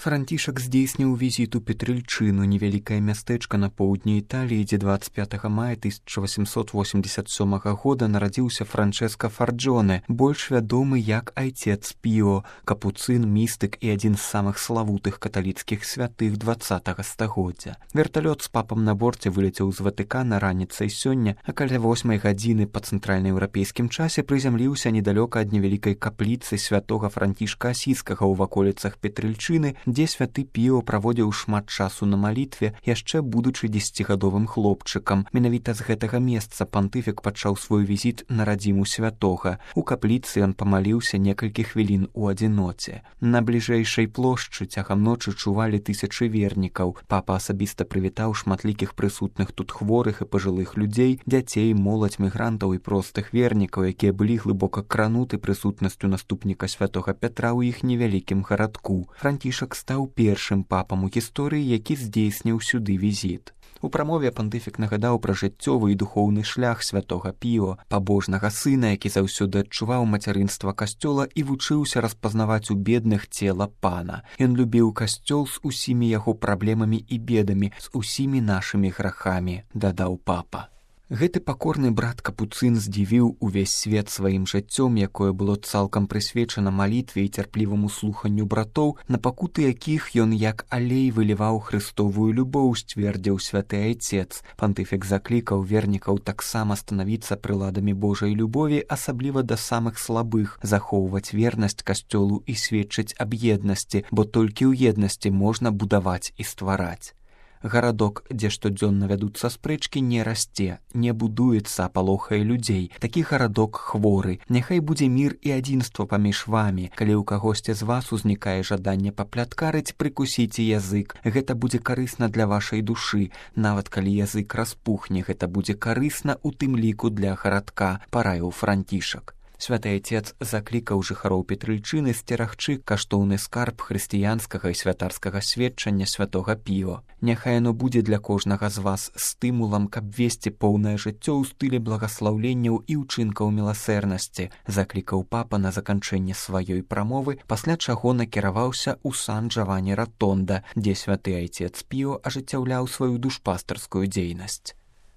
Францішак здзейсніў візіт у Петрыльчыну, невялікае мястэчка на поўдні Італіі, дзе 25 мая 1887 года нарадзіўся Франчэска Фарджоне, больш вядомы як айцец Піо, капуцын, містык і адзін з самых славутых каталіцкіх святых 20 стагоддзя. Верталёт з папам на борце вылецеў з Ватыкана раніцай сёння, а каля 8 гадзіны па цэнтральнаеўрапейскім часе прызямліўся недалёка ад невялікай капліцы святога Францішка Асійскага ў ваколіцах Петрыльчыны, дзе святы Піо праводзіў шмат часу на малітве, яшчэ будучы 10гадовым хлопчыкам. Менавіта з гэтага месца пантыфік пачаў свой візіт на радзіму святога. У капліцы ён памаліўся некалькі хвілін у адзіноце. На бліжэйшай плошчы цягам ночы чувалі тысячы вернікаў. Папа асабіста прывітаў шматлікіх прысутных тут хворых і пажылых людзей, дзяцей, моладзь, мігрантаў і простых вернікаў, якія былі глыбока крануты прысутнасцю наступніка святога Пятра ў іх невялікім гарадку. Францішак стаў першым папам у гісторыі, які здзейсніў сюды візіт. У прамове пантыфік нагадаў пра жыццёвы і духоўны шлях святога Піо, пабожнага сына, які заўсёды адчуваў мацярынства касцёла і вучыўся распазнаваць у бедных цела пана. Ён любіў касцёл з усімі яго праблемамі і бедамі, з усімі нашымі грахамі, дадаў папа. Гэты пакорны брат капуцын здзівіў увесь свет сваім жыццём, якое было цалкам прысвечана малітве і цярпліваму слуханню братоў, на пакуты якіх ён як алей выліваў хрыстовую любоў, сцвердзіў святы айцец. Пантыфік заклікаў вернікаў таксама станавіцца прыладамі Божай любові, асабліва да самых слабых, захоўваць вернасць касцёлу і сведчыць аб еднасці, бо толькі ў еднасці можна будаваць і ствараць. Гарадок, дзе штодзённа вядуцца спрэчкі, не расце, не будуецца, а палохае людзей. Такі гарадок хворы. Няхай будзе мір і адзінства паміж вамі. Калі ў кагосьці з вас узнікае жаданне папляткарыць, прыкусіце язык. Гэта будзе карысна для вашай душы. Нават калі язык распухне, гэта будзе карысна у тым ліку для гарадка, параіў Францішак. Святы айцец заклікаў жыхароў Петрыльчыны сцерагчы каштоўны скарб хрысціянскага і святарскага сведчання святога Піо. Няхай яно будзе для кожнага з вас стымулам, каб весці поўнае жыццё ў стылі благаслаўленняў і ўчынкаў міласэрнасці, заклікаў папа на заканчэнне сваёй прамовы, пасля чаго накіраваўся ў сан Джавані Ратонда, дзе святы айцец Піо ажыццяўляў сваю душпастарскую дзейнасць.